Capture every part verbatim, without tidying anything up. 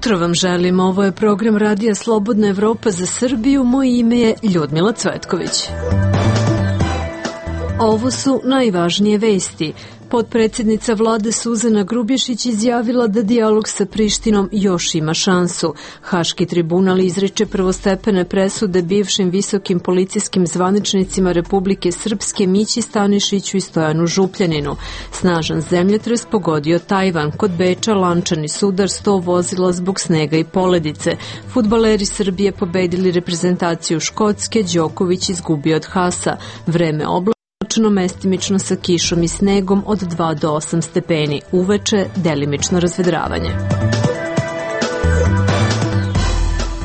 jutro vam želim, ovo je program Radija Slobodna Evropa za Srbiju, moje ime je Ljudmila Cvetković. Ovo su najvažnije vesti. Potpredsednica vlade Suzana Grubješić izjavila da dijalog sa Prištinom još ima šansu. Haški tribunal izriče prvostepene presude bivšim visokim policijskim zvaničnicima Republike Srpske Mići Stanišiću i Stojanu Župljaninu. Snažan zemljotres pogodio Tajvan. Kod Beča lančani sudar, sto vozila zbog snega i poledice. Fudbaleri Srbije pobedili reprezentaciju Škotske, Đoković izgubio od Hasa. Vreme oblačno, mestimično sa kišom i snegom od dva do osam stepeni. Uveče delimično razvedravanje.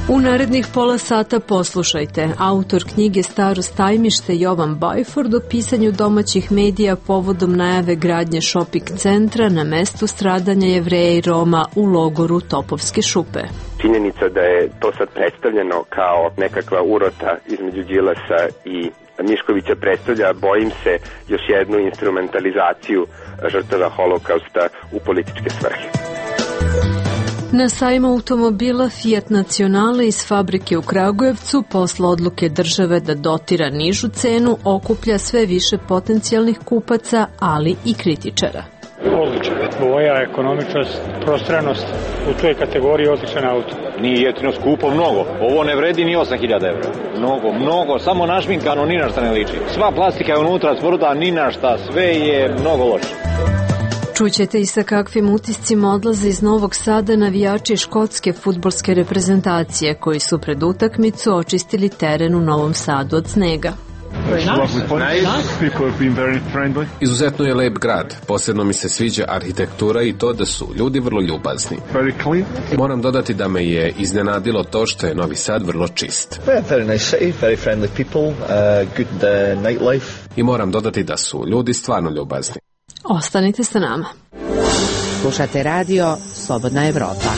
U narednih pola sata poslušajte. Autor knjige Staro Stajmište Jovan Bajford o pisanju domaćih medija povodom najave gradnje šoping centra na mestu stradanja Jevreja i Roma u logoru Topovske šupe. Činjenica da je to sad predstavljeno kao nekakva urota između Đilasa i Miškovića predstavlja, bojim se, još jednu instrumentalizaciju žrtava holokausta u političke svrhe. Na sajmu automobila Fiat Nacionale iz fabrike u Kragujevcu posle odluke države da dotira nižu cenu okuplja sve više potencijalnih kupaca, ali i kritičara. Odličan. Boja, ekonomičnost, prostranost, u toj kategoriji odličan auto. Nije jeftino, skupo mnogo. Ovo ne vredi ni osam hiljada evra. Mnogo, mnogo, samo našminkano, ni na šta ne liči. Sva plastika je unutra tvrda, ni na šta, sve je mnogo loše. Čućete i sa kakvim utiscima odlaze iz Novog Sada navijači škotske fudbalske reprezentacije koji su pred utakmicu očistili teren u Novom Sadu od snega. Izuzetno je lep grad, posebno mi se sviđa arhitektura i to da su ljudi vrlo ljubazni. Moram dodati da me je iznenadilo to što je Novi Sad vrlo čist. I moram dodati da su ljudi stvarno ljubazni. Ostanite sa nama. Slušate radio Slobodna Evropa.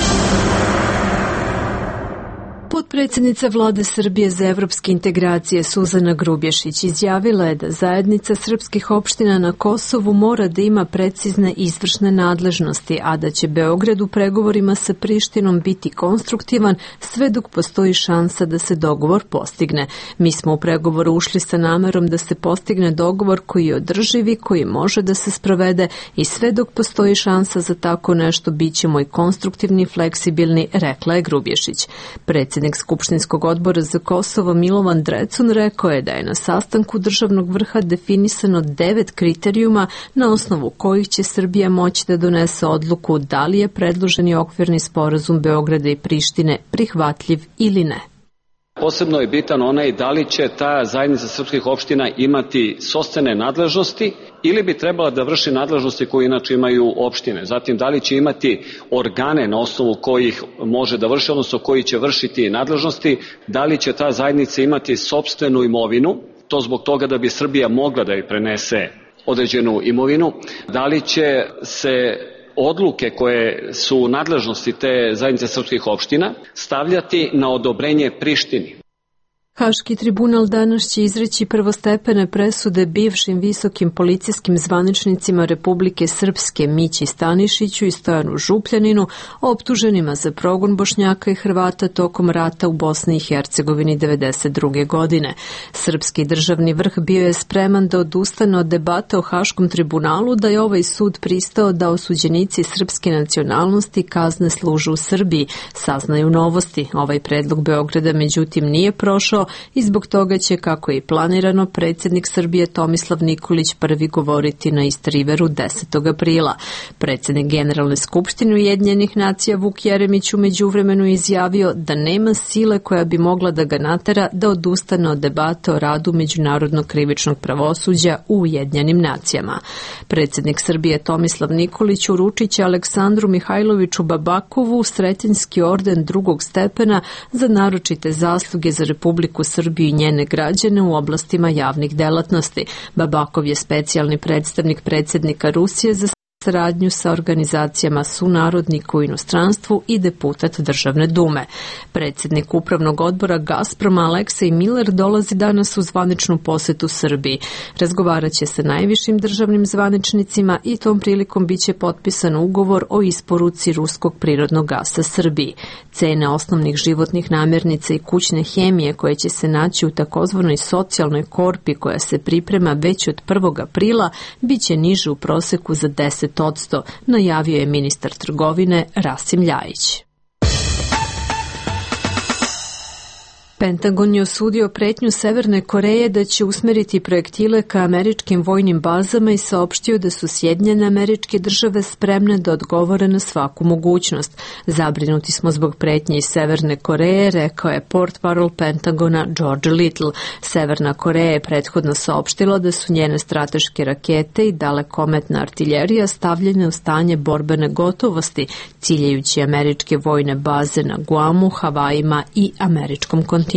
Potpredsednica vlade Srbije za evropske integracije Suzana Grubješić izjavila je da zajednica srpskih opština na Kosovu mora da ima precizne izvršne nadležnosti, a da će Beograd u pregovorima sa Prištinom biti konstruktivan sve dok postoji šansa da se dogovor postigne. Mi smo u pregovoru ušli sa namerom da se postigne dogovor koji je održivi, koji može da se sprovede i sve dok postoji šansa za tako nešto bit ćemo i konstruktivni i fleksibilni, rekla je Grubješić. Predsjednik Skupštinskog odbora za Kosovo Milovan Drecun rekao je da je na sastanku državnog vrha definisano devet kriterijuma na osnovu kojih će Srbija moći da donese odluku da li je predloženi okvirni sporazum Beograda i Prištine prihvatljiv ili ne. Posebno je bitan onaj da li će ta zajednica srpskih opština imati sopstvene nadležnosti ili bi trebala da vrši nadležnosti koje inače imaju opštine. Zatim, da li će imati organe na osnovu kojih može da vrši, odnosno koji će vršiti nadležnosti, da li će ta zajednica imati sopstvenu imovinu, to zbog toga da bi Srbija mogla da joj prenese određenu imovinu, da li će se odluke koje su u nadležnosti te zajednice srpskih opština stavljati na odobrenje Prištini. Haški tribunal danas će izreći prvostepene presude bivšim visokim policijskim zvaničnicima Republike Srpske Mići Stanišiću i Stojanu Župljaninu, optuženima za progon Bošnjaka i Hrvata tokom rata u Bosni i Hercegovini devedeset druge. godine. Srpski državni vrh bio je spreman da odustane od debate o Haškom tribunalu, da je ovaj sud pristao da osuđenici srpske nacionalnosti kazne služe u Srbiji, saznaju Novosti. Ovaj predlog Beograda međutim nije prošao i zbog toga će, kako je i planirano, predsjednik Srbije Tomislav Nikolić prvi govoriti na East Riveru desetog aprila. Predsjednik Generalne skupštine Ujedinjenih nacija Vuk Jeremić u međuvremenu izjavio da nema sile koja bi mogla da ga natera da odustane od debate o radu međunarodnog krivičnog pravosuđa u Ujedinjenim nacijama. Predsjednik Srbije Tomislav Nikolić uručit će Aleksandru Mihajloviću Babakovu Sretenjski orden drugog stepena za naročite zasluge za Republiku Srbiju i njene građane u oblastima javnih delatnosti. Babakov je specijalni predstavnik predsjednika Rusije za saradnju sa organizacijama sunarodnika u inostranstvu i deputat Državne dume. Predsjednik Upravnog odbora Gazproma Aleksej Miller dolazi danas u zvaničnu posetu Srbiji. Razgovarat će sa najvišim državnim zvaničnicima i tom prilikom biće potpisan ugovor o isporuci ruskog prirodnog gasa Srbiji. Cene osnovnih životnih namirnica i kućne hemije koje će se naći u takozvanoj socijalnoj korpi koja se priprema već od prvog aprila biće niže u proseku za deset odsto, najavio je ministar trgovine Rasim Ljajić. Pentagon je osudio pretnju Severne Koreje da će usmeriti projektile ka američkim vojnim bazama i saopštio da su Sjedinjene Američke Države spremne da odgovore na svaku mogućnost. Zabrinuti smo zbog pretnje iz Severne Koreje, rekao je portparol Pentagona George Little. Severna Koreja je prethodno saopštila da su njene strateške rakete i dalekometna artiljerija stavljene u stanje borbene gotovosti, ciljajući američke vojne baze na Guamu, Havajima i američkom kontinentu.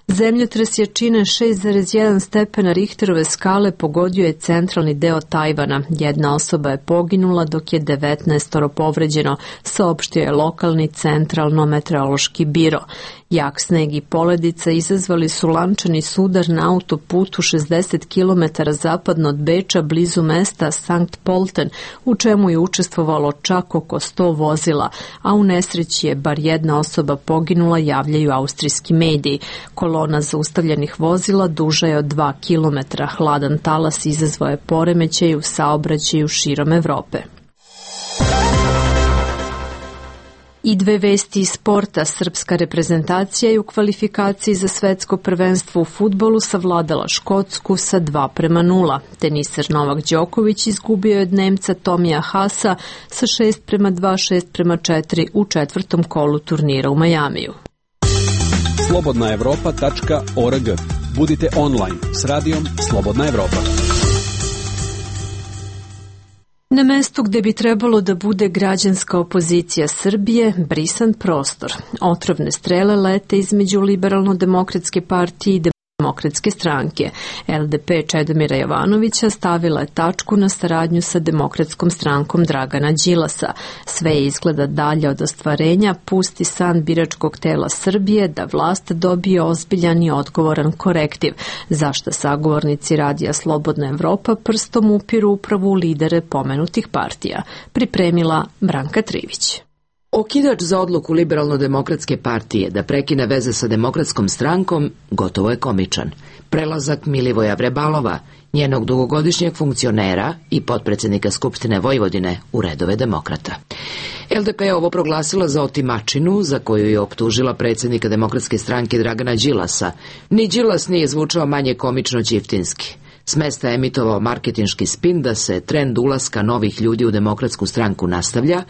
Zemljotres jačine šest zarez jedan stepena Richterove skale pogodio je centralni deo Tajvana. Jedna osoba je poginula dok je devetnaestoro povređeno, saopštio je lokalni centralno-meteorološki biro. Jak sneg i poledica izazvali su lančani sudar na autoputu šezdeset kilometara zapadno od Beča blizu mesta Sankt Polten, u čemu je učestvovalo čak oko sto vozila, a u nesreći je bar jedna osoba poginula, javljaju austrijski mediji. Kolona zaustavljenih vozila duža je od dva kilometra. Hladan talas izazvao je poremećaj u saobraćaju širom Evrope. I dve vesti iz sporta. Srpska reprezentacija je u kvalifikaciji za svetsko prvenstvo u fudbalu savladala Škotsku sa dva prema nula. Teniser Novak Đoković izgubio je od Nemca Tomija Hasa sa šest prema dva, šest prema četiri u četvrtom kolu turnira u Majamiju. slobodna evropa tačka org. Budite online s radijom Slobodna Evropa. Na mestu gde bi trebalo da bude građanska opozicija Srbije, brisan prostor. Otrovne strele lete između Liberalno-demokratske partije i Demokratske stranke. L D P Čedomira Jovanovića stavila je tačku na saradnju sa Demokratskom strankom Dragana Đilasa. Sve je izgleda dalje od ostvarenja, pusti san biračkog tela Srbije da vlast dobije ozbiljan i odgovoran korektiv, zašto sagovornici radija Slobodna Evropa prstom upiru upravo u lidere pomenutih partija. Pripremila Branka Trivić. Okidač za odluku Liberalno-demokratske partije da prekine veze sa Demokratskom strankom gotovo je komičan. Prelazak Milivoja Vrebalova, njenog dugogodišnjeg funkcionera i potpredsjednika Skupštine Vojvodine, u redove demokrata. L D P je ovo proglasila za otimačinu za koju je optužila predsjednika Demokratske stranke Dragana Đilasa. Ni Đilas nije zvučao manje komično ćiftinski. S mesta je emitovao marketinški spin da se trend ulaska novih ljudi u Demokratsku stranku nastavlja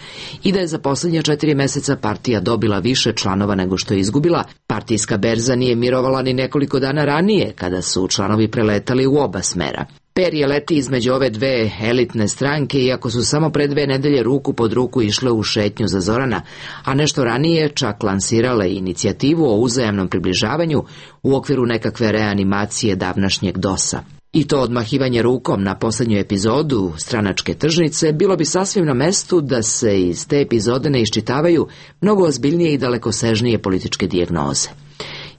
i da je za posljednja četiri meseca partija dobila više članova nego što je izgubila. Partijska berza nije mirovala ni nekoliko dana ranije, kada su članovi preletali u oba smera. Perje leti između ove dve elitne stranke, iako su samo pre dve nedelje ruku pod ruku išle u šetnju za Zorana, a nešto ranije čak lansirale inicijativu o uzajamnom približavanju u okviru nekakve reanimacije davnašnjeg dosa. I to odmahivanje rukom na posljednju epizodu stranačke tržnice bilo bi sasvim na mestu da se iz te epizode ne iščitavaju mnogo ozbiljnije i dalekosežnije političke dijagnoze.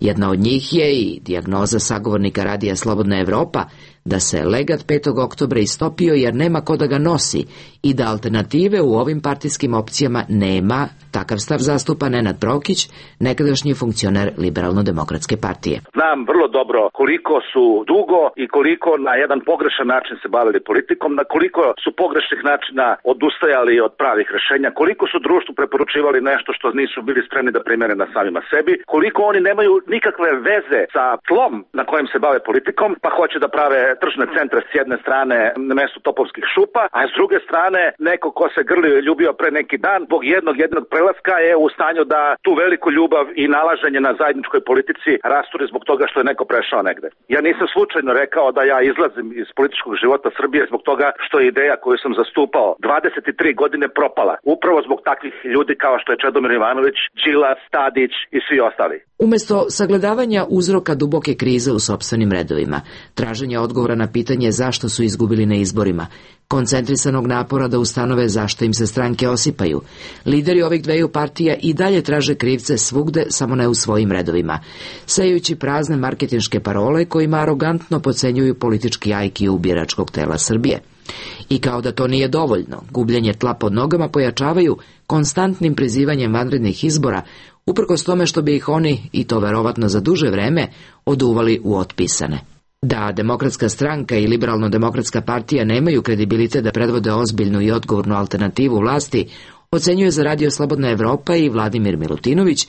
Jedna od njih je i dijagnoza sagovornika radija Slobodna Evropa da se legat petog oktobra istopio jer nema ko da ga nosi i da alternative u ovim partijskim opcijama nema. Takav stav zastupa Nenad Brokić, nekadašnji funkcioner Liberalno-demokratske partije. Znam vrlo dobro koliko su dugo i koliko na jedan pogrešan način se bavili politikom, na koliko su pogrešnih načina odustajali od pravih rešenja, koliko su društvu preporučivali nešto što nisu bili spremni da primene na samima sebi, koliko oni nemaju nikakve veze sa tlom na kojem se bave politikom, pa hoće da prave tržne centre s jedne strane na mestu topovskih šupa, a s druge strane neko ko se grlio i ljubio pre neki dan, zbog jednog jednog prelaska je u stanju da tu veliku ljubav i nalaženje na zajedničkoj politici rasturi zbog toga što je neko prešao negde. Ja nisam slučajno rekao da ja izlazim iz političkog života Srbije zbog toga što je ideja koju sam zastupao dvadeset tri godine propala. Upravo zbog takvih ljudi kao što je Čedomir Jovanović, Đilas, Tadić i svi ostali. Umesto sagledavanja uzroka duboke krize u sopstvenim redovima, traženja odgovora na pitanje zašto su izgubili na izborima, koncentrisanog napora da ustanove zašto im se stranke osipaju, lideri ovih dveju partija i dalje traže krivce svugde, samo ne u svojim redovima, sejući prazne marketinške parole kojima arogantno podcenjuju politički I Q biračkog tela Srbije. I kao da to nije dovoljno, gubljenje tla pod nogama pojačavaju konstantnim prizivanjem vanrednih izbora, uprkos tome što bi ih oni, i to verovatno za duže vreme, oduvali u otpisane. Da Demokratska stranka i Liberalno-demokratska partija nemaju kredibilitet da predvode ozbiljnu i odgovornu alternativu vlasti, ocenjuje za Radio Slobodna Evropa i Vladimir Milutinović,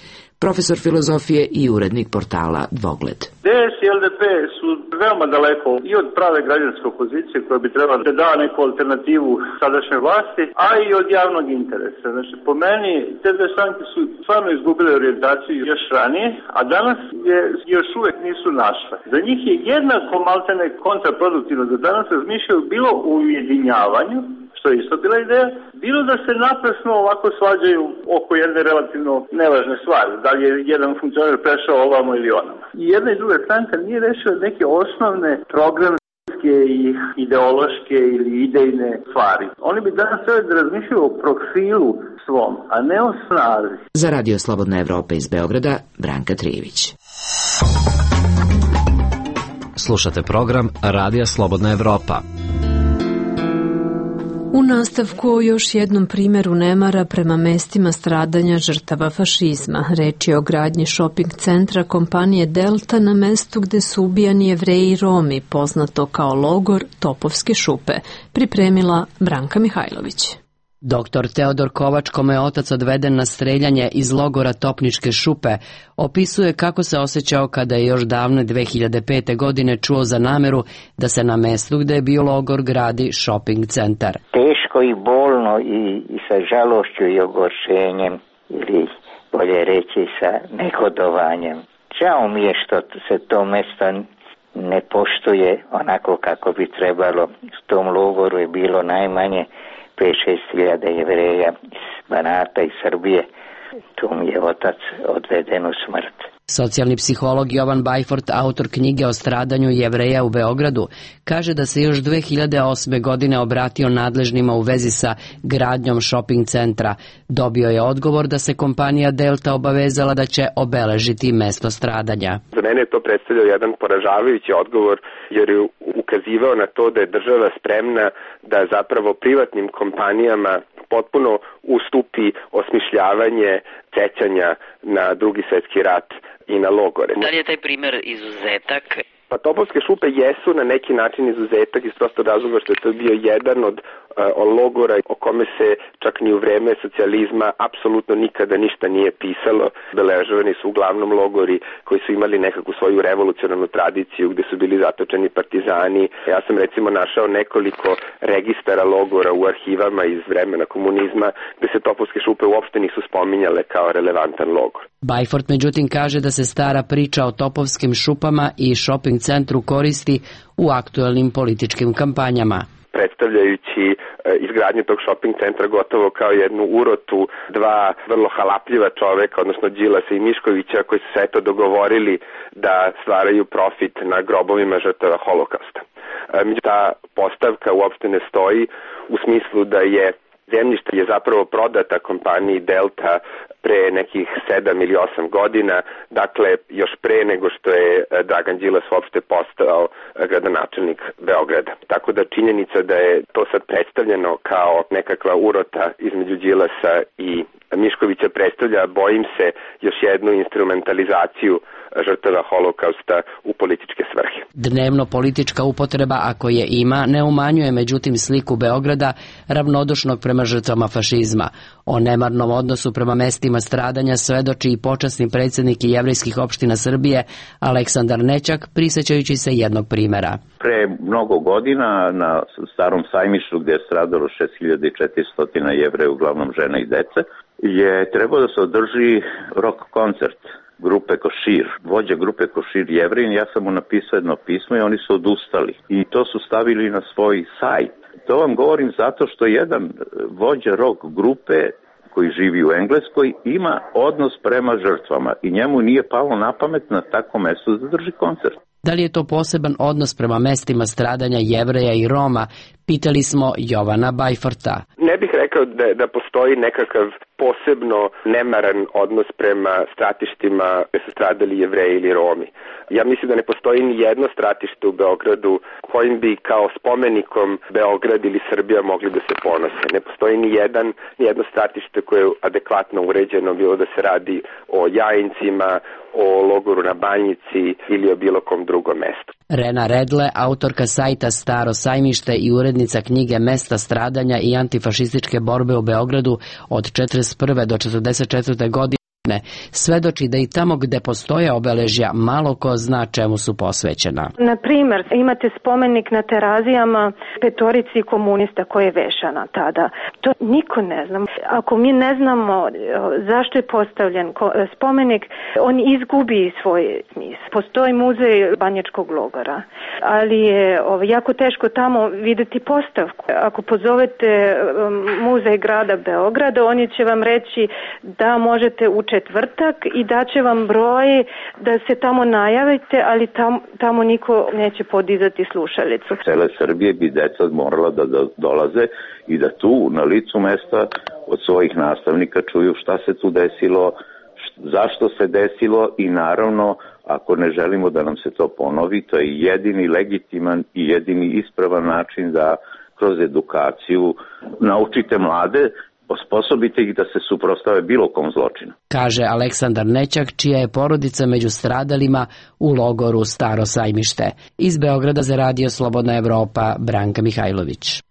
profesor filozofije i urednik portala Dvogled. D S i L D P su veoma daleko i od prave građanske opozicije koja bi trebala da da neku alternativu sadašnje vlasti, a i od javnog interesa. Znači, po meni, te dve stranke su stvarno izgubile orijentaciju još ranije, a danas je još uvek nisu našle. Za njih je jednako maltene kontraproduktivno da danas razmišljaju bilo u ujedinjavanju, što je isto bila ideja, bilo da se naprasno ovako svađaju oko jedne relativno nevažne stvari, da li je jedan funkcioner prešao ovamo ili onamo. I jedna i druga stranka nije rešila neke osnovne programske i ideološke ili idejne stvari. Oni bi danas trebali da razmišljaju o profilu svom, a ne o snazi. Za Radio Slobodna Evropa iz Beograda, Branka Trijević. Slušate program Radija Slobodna Evropa. U nastavku o još jednom primjeru nemara prema mestima stradanja žrtava fašizma. Reč je o gradnji shopping centra kompanije Delta na mestu gde su ubijani Jevreji i Romi, poznato kao logor Topovske šupe, pripremila Branka Mihajlović. Doktor Teodor Kovač, kome je otac odveden na streljanje iz logora Topničke šupe, opisuje kako se osjećao kada je još davne dve hiljade pete. godine čuo za nameru da se na mestu gde je bio logor gradi shopping centar. Teško i bolno i, i sa žalošću i ogorčenjem, ili bolje reći sa negodovanjem. Žao mi je što se to mesto ne poštuje onako kako bi trebalo. U tom logoru je bilo najmanje pet šest hiljada Jevreja iz Banata i Srbije. Tu mi je otac odveden u smrt. Socijalni psiholog Jovan Bajfort, autor knjige o stradanju Jevreja u Beogradu, kaže da se još dve hiljade osme. godine obratio nadležnima u vezi sa gradnjom shopping centra. Dobio je odgovor da se kompanija Delta obavezala da će obeležiti mesto stradanja. Za mene je to predstavljao jedan poražavajući odgovor, jer je ukazivao na to da je država spremna da zapravo privatnim kompanijama potpuno ustupi osmišljavanje sećanja na Drugi svjetski rat i na logore. Da li je taj primer izuzetak? Pa Topovske šupe jesu na neki način izuzetak iz prostog razloga što je to bio jedan od uh, logora o kome se čak ni u vreme socijalizma apsolutno nikada ništa nije pisalo. Beležovani su uglavnom logori koji su imali nekakvu svoju revolucionarnu tradiciju gde su bili zatočeni partizani. Ja sam recimo našao nekoliko registara logora u arhivama iz vremena komunizma gde se Topovske šupe uopšte nisu spominjale kao relevantan logor. Bajfort međutim kaže da se stara priča o Topovskim šupama i shopping centru koristi u aktuelnim političkim kampanjama. Predstavljajući izgradnju tog shopping centra gotovo kao jednu urotu dva vrlo halapljiva čoveka, odnosno Đilasa i Miškovića, koji su se eto dogovorili da stvaraju profit na grobovima žrtava holokausta. Međutim, ta postavka uopšte ne stoji u smislu da je zemljište je zapravo prodata kompaniji Delta pre nekih sedam ili osam godina, dakle još pre nego što je Dragan Đilas uopšte postao gradonačelnik Beograda. Tako da činjenica da je to sad predstavljeno kao nekakva urota između Đilasa i Miškovića predstavlja, bojim se, još jednu instrumentalizaciju žrtava holokausta u političke svrhe. Dnevno politička upotreba, ako je ima, ne umanjuje međutim sliku Beograda ravnodušnog prema žrtvama fašizma. O nemarnom odnosu prema mestima stradanja svedoči i počasni predsjednik jevrejskih opština Srbije Aleksandar Nećak, prisjećajući se jednog primjera. Pre mnogo godina na Starom sajmištu, gdje je stradalo šest hiljada četiristo Jevreja, uglavnom žena i dece, je trebao da se održi rock koncert grupe Košir, vođa grupe Košir Jevrin. Ja sam mu napisao jedno pismo i oni su odustali. I to su stavili na svoj sajt. To vam govorim zato što jedan vođa rock grupe koji živi u Engleskoj, ima odnos prema žrtvama i njemu nije palo na pamet na tako mesto da drži koncert. Da li je to poseban odnos prema mestima stradanja Jevreja i Roma? Pitali smo Jovana Bajforta. Ne bih rekao da, da postoji nekakav posebno nemaran odnos prema stratištima gde su stradali Jevreji ili Romi. Ja mislim da ne postoji ni jedno stratište u Beogradu kojim bi kao spomenikom Beograd ili Srbija mogli da se ponose. Ne postoji ni, jedan, ni jedno stratište koje je adekvatno uređeno, bilo da se radi o Jajincima, o logoru na Banjici ili o bilo kom drugom mestu. Rena Redle, autorka sajta Staro sajmište i urednica knjige Mesta stradanja i antifašističke borbe u Beogradu od četrdeset prve do četrdeset četvrte godine, svedoči da i tamo gde postoje obeležja malo ko zna čemu su posvećena. Na primer, imate spomenik na Terazijama petorici komunista koje je vešana tada. To niko ne zna. Ako mi ne znamo zašto je postavljen spomenik, on izgubi svoj smisao. Postoji muzej Banjačkog logora, ali je jako teško tamo videti postavku. Ako pozovete muzej grada Beograda, oni će vam reći da možete u četvrtak i daće vam broj da se tamo najavite, ali tam, tamo niko neće podizati slušalicu. Cele Srbije bi deca morala da dolaze i da tu na licu mesta od svojih nastavnika čuju šta se tu desilo, zašto se desilo i naravno ako ne želimo da nam se to ponovi, to je jedini legitiman i jedini ispravan način da kroz edukaciju naučite mlade, osposobite ih da se suprotstave bilo kom zločinu. Kaže Aleksandar Nećak, čija je porodica među stradalima u logoru Staro sajmište. Iz Beograda za Radio Slobodna Evropa, Branka Mihajlović.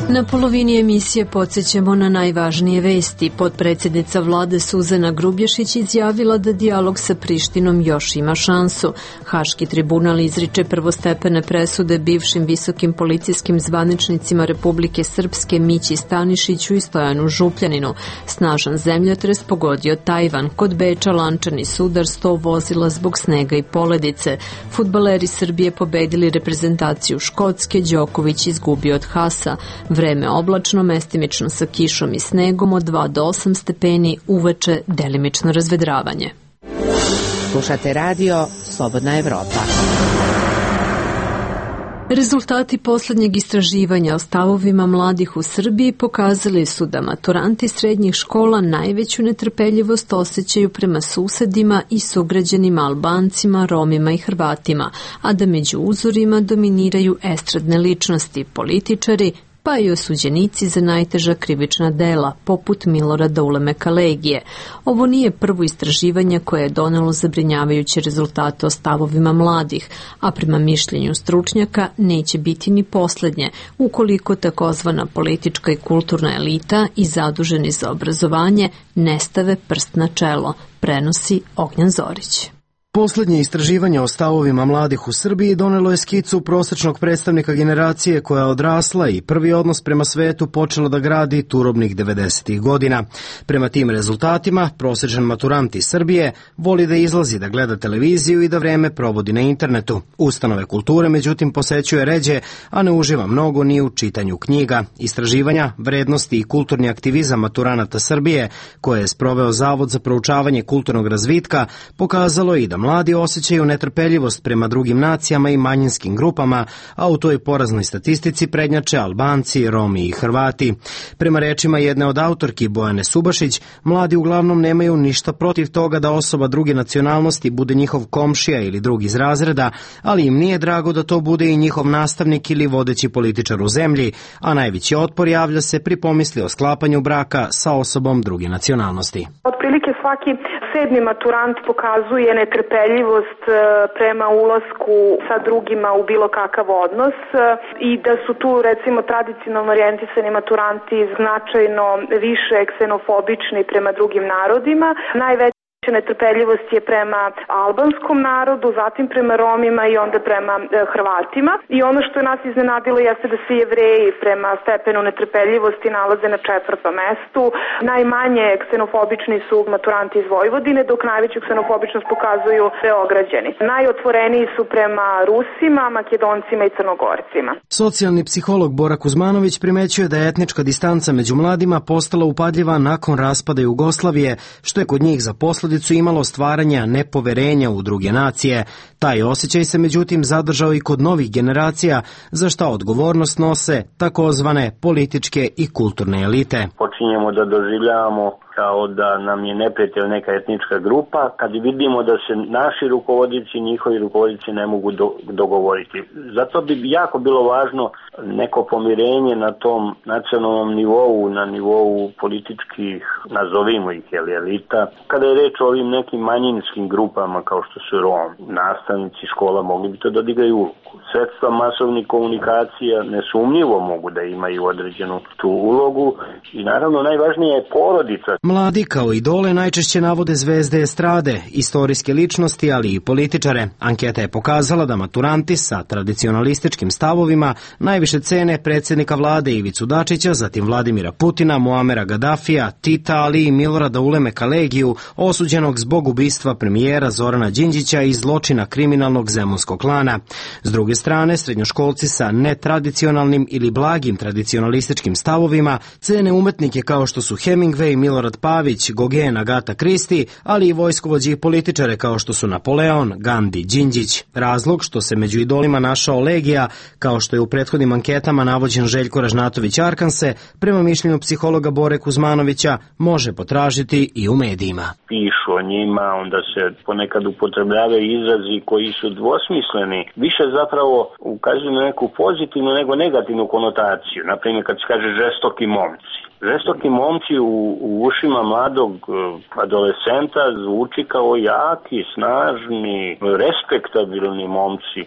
Na polovini emisije podsjećamo na najvažnije vesti. Potpredsjednica vlade Suzana Grubješić izjavila da dijalog sa Prištinom još ima šansu. Haški tribunal izriče prvostepene presude bivšim visokim policijskim zvaničnicima Republike Srpske Mići Stanišiću i Stojanu Župljaninu. Snažan zemljotres pogodio Tajvan. Kod Beča lančani sudar, sto vozila zbog snega i poledice. Fudbaleri Srbije pobedili reprezentaciju Škotske, Đoković izgubio od Hasa. Vreme oblačno, mestimično sa kišom i snegom od dva do osam stepeni, uveče delimično razvedravanje. Slušate radio Slobodna Evropa. Rezultati poslednjeg istraživanja o stavovima mladih u Srbiji pokazali su da maturanti srednjih škola najveću netrpeljivost osjećaju prema susedima i sugrađanima Albancima, Romima i Hrvatima, a da među uzorima dominiraju estradne ličnosti, političari, pa i osuđenici za najteža krivična dela, poput Milorada Ulemeka Legije. Ovo nije prvo istraživanje koje je donelo zabrinjavajuće rezultate o stavovima mladih, a prema mišljenju stručnjaka neće biti ni poslednje, ukoliko takozvana politička i kulturna elita i zaduženi za obrazovanje ne stave prst na čelo, prenosi Ognjan Zorić. Poslednje istraživanje o stavovima mladih u Srbiji donelo je skicu prosečnog predstavnika generacije koja je odrasla i prvi odnos prema svetu počela da gradi turobnih devedesetih godina. Prema tim rezultatima, prosečan maturant iz Srbije voli da izlazi, da gleda televiziju i da vreme provodi na internetu. Ustanove kulture, međutim, posećuje ređe, a ne uživa mnogo ni u čitanju knjiga. Istraživanja, vrednosti i kulturni aktivizam maturanata Srbije, koje je sproveo Zavod za proučavanje kulturnog razvitka, pokazalo i da mladi osjećaju netrpeljivost prema drugim nacijama i manjinskim grupama, a u toj poraznoj statistici prednjače Albanci, Romi i Hrvati. Prema rečima jedne od autorki Bojane Subašić, mladi uglavnom nemaju ništa protiv toga da osoba druge nacionalnosti bude njihov komšija ili drug iz razreda, ali im nije drago da to bude i njihov nastavnik ili vodeći političar u zemlji, a najveći otpor javlja se pri pomisli o sklapanju braka sa osobom druge nacionalnosti. Otprilike svaki sedmi maturant pokazuje netrpeljivost prema ulasku sa drugima u bilo kakav odnos i da su tu recimo tradicionalno orijentisani maturanti značajno više ksenofobični prema drugim narodima. Najveći Netrpeljivost je prema albanskom narodu, zatim prema Romima i onda prema e, Hrvatima. I ono što je nas iznenadilo jeste da se Jevreji prema stepenu netrpeljivosti nalaze na četvrtom mestu. Najmanje ksenofobični su maturanti iz Vojvodine, dok najveću ksenofobičnost pokazuju Beograđani. Najotvoreniji su prema Rusima, Makedoncima i Crnogorcima. Socijalni psiholog Bora Kuzmanović primećuje da je etnička distanca među mladima postala upadljiva nakon raspada Jugoslavije, što je kod njih za posledicu imalo stvaranja nepoverenja u druge nacije. Taj osjećaj se međutim zadržao i kod novih generacija, za šta odgovornost nose takozvane političke i kulturne elite. Počinjemo da doživljavamo kao da nam je neprijatelj neka etnička grupa, kad vidimo da se naši rukovodioci i njihovi rukovodioci ne mogu do, dogovoriti. Zato bi jako bilo važno neko pomirenje na tom nacionalnom nivou, na nivou političkih, nazovimo ih, elita. Kada je reč o ovim nekim manjinskim grupama kao što su Rom, nastavnici škola mogli bi to da odigraju ulogu. Sredstva masovnih komunikacija nesumnjivo mogu da imaju određenu tu ulogu i naravno najvažnije je porodica. Mladi kao idole najčešće navode zvezde estrade, istorijske ličnosti, ali i političare. Anketa je pokazala da maturanti sa tradicionalističkim stavovima najviše cene predsjednika vlade Ivicu Dačića, zatim Vladimira Putina, Muamera Gadafija, Tita, ali i Milorada Uleme Kalegiju, osuđenog zbog ubistva premijera Zorana Đinđića i zločina kriminalnog zemunskog klana. S druge strane, srednjoškolci sa netradicionalnim ili blagim tradicionalističkim stavovima cene umetnike kao što su Hemingway, Milorad Pavić, Gauguin, Agata Christie, ali i vojskovođe i političare kao što su Napoleon, Gandhi, Đinđić. Razlog što se među idolima našao Legija, kao što je u prethodnim anketama navođen Željko Ražnatović Arkanse, prema mišljenju psihologa Bore Kuzmanovića, može potražiti i u medijima. Pišu o njima, onda se ponekad upotrebljavaju izrazi koji su dvosmisleni. Više zapravo ukazuju na neku pozitivnu nego negativnu konotaciju. Naprimjer, kad se kaže žestoki momci. Žestoki momci u, u ušima mladog adolescenta zvuči kao jaki, snažni, respektabilni momci.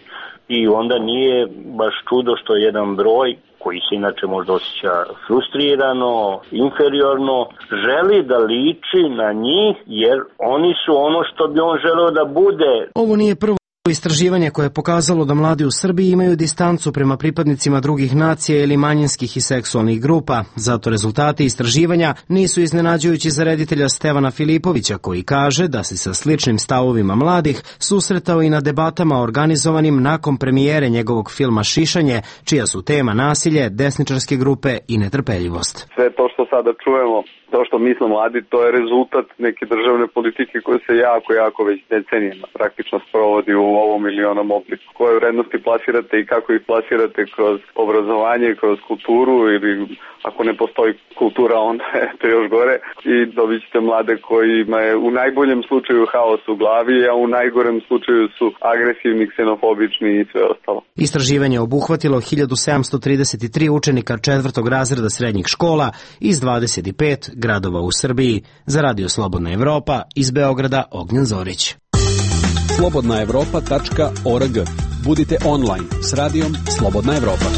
I onda nije baš čudo što jedan broj koji se inače možda osjeća frustrirano, inferiorno, želi da liči na njih jer oni su ono što bi on želeo da bude. Ovo nije prvo istraživanje koje je pokazalo da mladi u Srbiji imaju distancu prema pripadnicima drugih nacija ili manjinskih i seksualnih grupa. Zato rezultati istraživanja nisu iznenađujući za reditelja Stevana Filipovića, koji kaže da se sa sličnim stavovima mladih susretao i na debatama organizovanim nakon premijere njegovog filma Šišanje, čija su tema nasilje, desničarske grupe i netrpeljivost. Sve to što sada čujemo, to što misle mladi, to je rezultat neke državne politike koje se jako, jako već decenijama praktično sprovodi u ovom ili onom obliku. Koje vrednosti plasirate i kako ih plasirate kroz obrazovanje, kroz kulturu ili ako ne postoji kultura, onda je to još gore i dobit ćete mlade kojima je u najboljem slučaju haos u glavi, a u najgorem slučaju su agresivni, ksenofobični i sve ostalo. Istraživanje je obuhvatilo hiljadu sedamsto trideset tri učenika četvrtog razreda srednjih škola iz dvadeset pet gradova u Srbiji. Za Radio Slobodna Evropa iz Beograda Ognjen Zorić. slobodna evropa tačka org. Budite online s radijom Slobodna Evropa.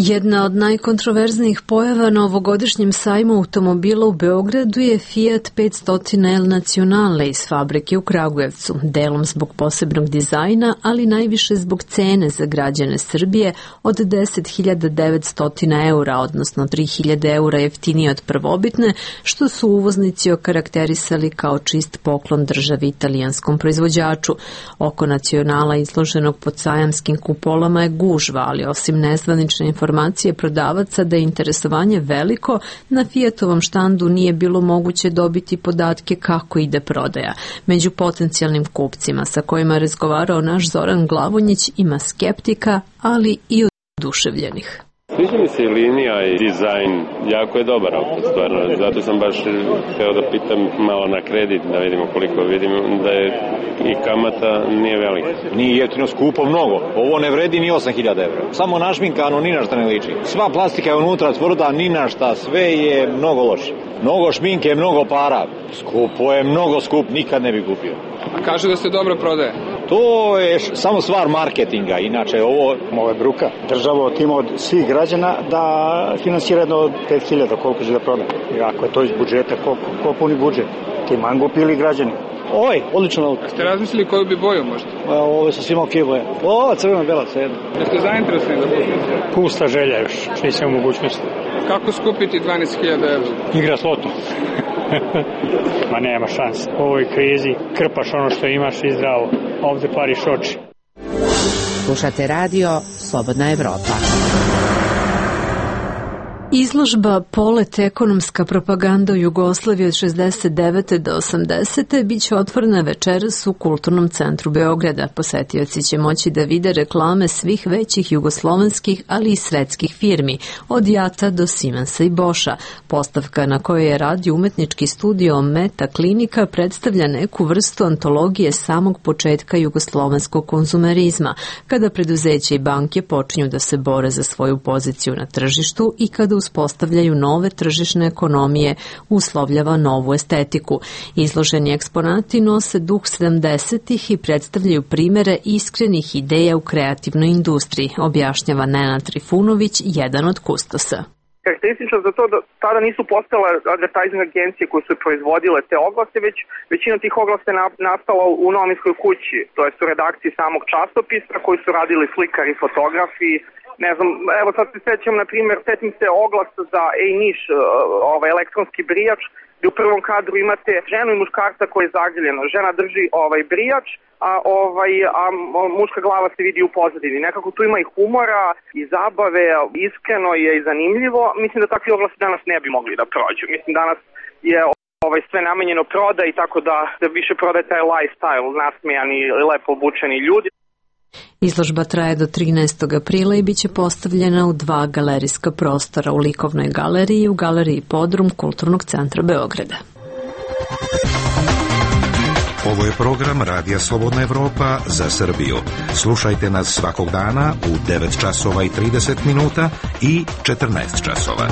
Jedna od najkontroverznijih pojava na ovogodišnjem sajmu automobila u Beogradu je Fiat petsto El Nacionale iz fabrike u Kragujevcu, delom zbog posebnog dizajna, ali najviše zbog cene za građane Srbije od deset hiljada devetsto eura, odnosno tri hiljade eura jeftinije od prvobitne, što su uvoznici okarakterisali kao čist poklon državi italijanskom proizvođaču. Oko Nacionala izloženog pod sajamskim kupolama je gužva, ali osim nezvanične informacije informacije prodavaca da je interesovanje veliko, na Fiatovom štandu nije bilo moguće dobiti podatke kako ide prodaja. Među potencijalnim kupcima sa kojima je razgovarao naš Zoran Glavonjić ima skeptika, ali i oduševljenih. Sviđa mi se i linija i dizajn, jako je dobar auto, stvarno, zato sam baš hteo da pitam malo na kredit, da vidimo koliko vidimo, da je i kamata nije velika. Nije jeftino, skupo mnogo, ovo ne vredi ni osam hiljada evra, samo našminkano, ni na šta ne liči. Sva plastika je unutra, tvrda, ni na šta, sve je mnogo loše. Mnogo šminke, mnogo para, skupo je, mnogo skup, nikad ne bi kupio. A kaže da se dobro prodaje. To je samo stvar marketinga, inače ovo... Ovo je bruka. Država otima od svih građana da finansira jedno od pet hiljada, koliko će da proda. I ako je to iz budžeta, koliko, ko puni budžet? Ti mango pili građani. Oj, odlično nauka. Ste razmislili koju bi boju možda? Ovo je sa svima okej boje. O, crvena, bela, sve jedno. Jeste zainteresovani da pustite? Pusta želja još, nisam u mogućnosti. Kako skupiti dvanaest hiljada evra? Igra s lotom. Ma nema šanse. U ovoj krizi krpaš ono što imaš i zdravo. Ovde pariš oči. Slušate radio Slobodna Evropa. Izložba Polet ekonomska propaganda u Jugoslaviji od šezdeset devete do osamdesete biće otvorena večeras u Kulturnom centru Beograda. Posetioci će moći da vide reklame svih većih jugoslovenskih, ali i svetskih firmi, od Jata do Siemensa i Boscha. Postavka na kojoj je radio umetnički studio Meta Klinika predstavlja neku vrstu antologije samog početka jugoslovenskog konzumerizma, kada preduzeće i banke počinju da se bore za svoju poziciju na tržištu i kada uspostavljaju nove tržišne ekonomije, uslovljava novu estetiku. Izloženi eksponati nose duh sedamdesetih i predstavljaju primere iskrenih ideja u kreativnoj industriji, objašnjava Nenad Trifunović, jedan od kustosa. Karakteristično za to da tada nisu postale advertising agencije koje su proizvodile te oglase, već većina tih oglasa je nastala u novinskoj kući, to jest u redakciji samog časopisa koji su radili slikari, fotografi. Ne znam, evo sad se sećam, na primjer, setim se oglasa za Ej Niš, ovaj elektronski brijač, gdje u prvom kadru imate ženu i muškarca koji je zagrljeno. Žena drži ovaj brijač, a ovaj a muška glava se vidi u pozadini. Nekako tu ima i humora i zabave, iskreno je i zanimljivo. Mislim da takvi oglasi danas ne bi mogli da prođu. Mislim danas je ovaj sve namenjeno proda i tako da se više prodaje taj lifestyle, nasmejani, lepo obučeni ljudi. Izložba traje do trinaestog aprila i biće postavljena u dva galerijska prostora, u Likovnoj galeriji i u galeriji Podrum Kulturnog centra Beograda. Ovo je program Radija Slobodna Evropa za Srbiju. Slušajte nas svakog dana u devet časova i trideset minuta i četrnaest časova.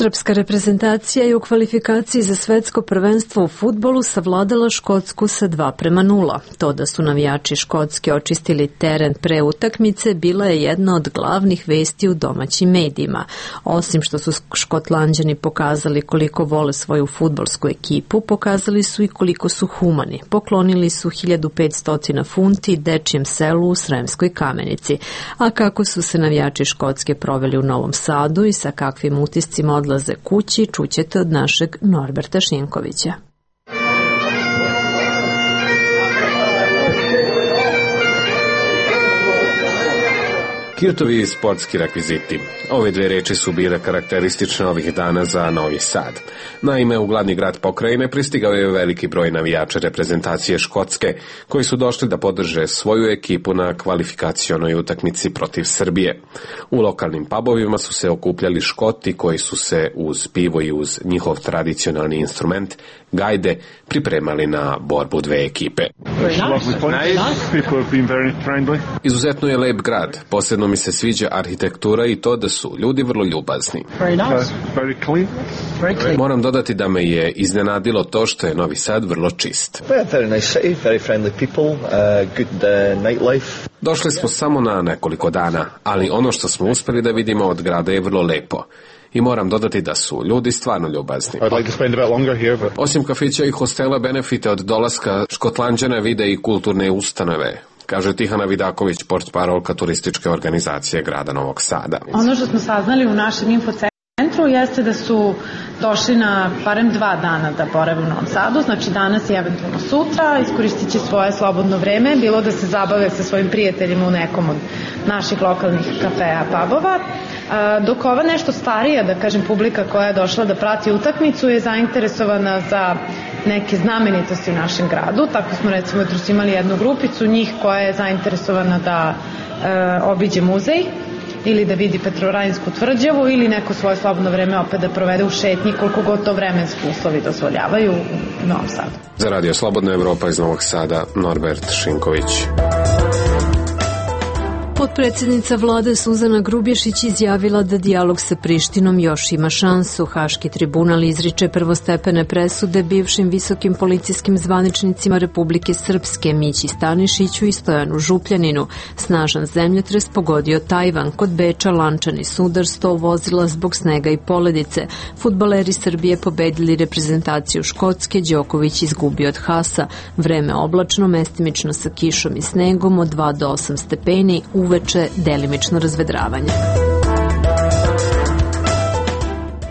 Srpska reprezentacija je u kvalifikaciji za svetsko prvenstvo u fudbalu savladala Škotsku sa dva prema nula. To da su navijači Škotske očistili teren pre utakmice bila je jedna od glavnih vesti u domaćim medijima. Osim što su Škotlanđani pokazali koliko vole svoju fudbalsku ekipu, pokazali su i koliko su humani. Poklonili su hiljadu petsto funti dečijem selu u Sremskoj Kamenici. A kako su se navijači Škotske proveli u Novom Sadu i sa kakvim utiscima odlaze kući, čućete od našeg Norberta Šinkovića. Kirtovi sportski rekviziti. Ove dve reči su bile karakteristične ovih dana za Novi Sad. Naime, u glavni grad pokrajine pristigao je veliki broj navijača reprezentacije Škotske, koji su došli da podrže svoju ekipu na kvalifikacionoj utakmici protiv Srbije. U lokalnim pubovima su se okupljali Škoti koji su se uz pivo i uz njihov tradicionalni instrument, gajde, pripremali na borbu dve ekipe. Izuzetno je lep grad, posebno mi se sviđa arhitektura i to da su ljudi vrlo ljubazni. Moram dodati da me je iznenadilo to što je Novi Sad vrlo čist. Došli smo samo na nekoliko dana, ali ono što smo uspeli da vidimo od grada je vrlo lepo. I moram dodati da su ljudi stvarno ljubazni. Osim kafića i hostela, benefite od dolaska Škotlanđana vide i kulturne ustanove, kaže Tihana Vidaković, portparolka turističke organizacije grada Novog Sada. Ono što smo saznali u našem infocentru jeste da su došli na barem dva dana da borave u Novom Sadu, znači danas i eventualno sutra, iskoristit će svoje slobodno vreme, bilo da se zabave sa svojim prijateljima u nekom od naših lokalnih kafeja, pubova, dok ova nešto starija, da kažem, publika koja je došla da prati utakmicu je zainteresovana za neke znamenitosti u našem gradu. Tako smo recimo jutros imali jednu grupicu njih koja je zainteresovana da e, obiđe muzej ili da vidi Petrovarainsku tvrđavu ili neko svoje slobodno vreme opet da provede u šetnji koliko god to vremenski uslovi dozvoljavaju u Novom Sadu. Za Radio Slobodna Evropa iz Novog Sada, Norbert Šinković. Potpredsjednica vlade Suzana Grubješić izjavila da dijalog sa Prištinom još ima šansu. Haški tribunal izriče prvostepene presude bivšim visokim policijskim zvaničnicima Republike Srpske Mići Stanišiću i Stojanu Župljaninu. Snažan zemljotres pogodio Tajvan. Kod Beča lančani sudar, sto vozila zbog snega i poledice. Fudbaleri Srbije pobedili reprezentaciju Škotske, Đoković izgubio od Hasa. Vreme oblačno, mestimično sa kišom i snegom od dva do osam stepeni, uveče delimično razvedravanje.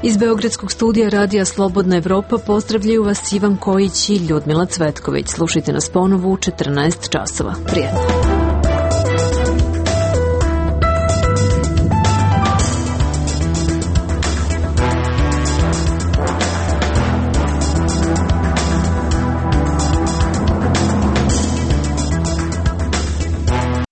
Iz Beogradskog studija Radija Slobodna Evropa pozdravljaju vas Ivan Kojić i Ljudmila Cvetković. Slušajte nas ponovo u četrnaest časova. Prijetno.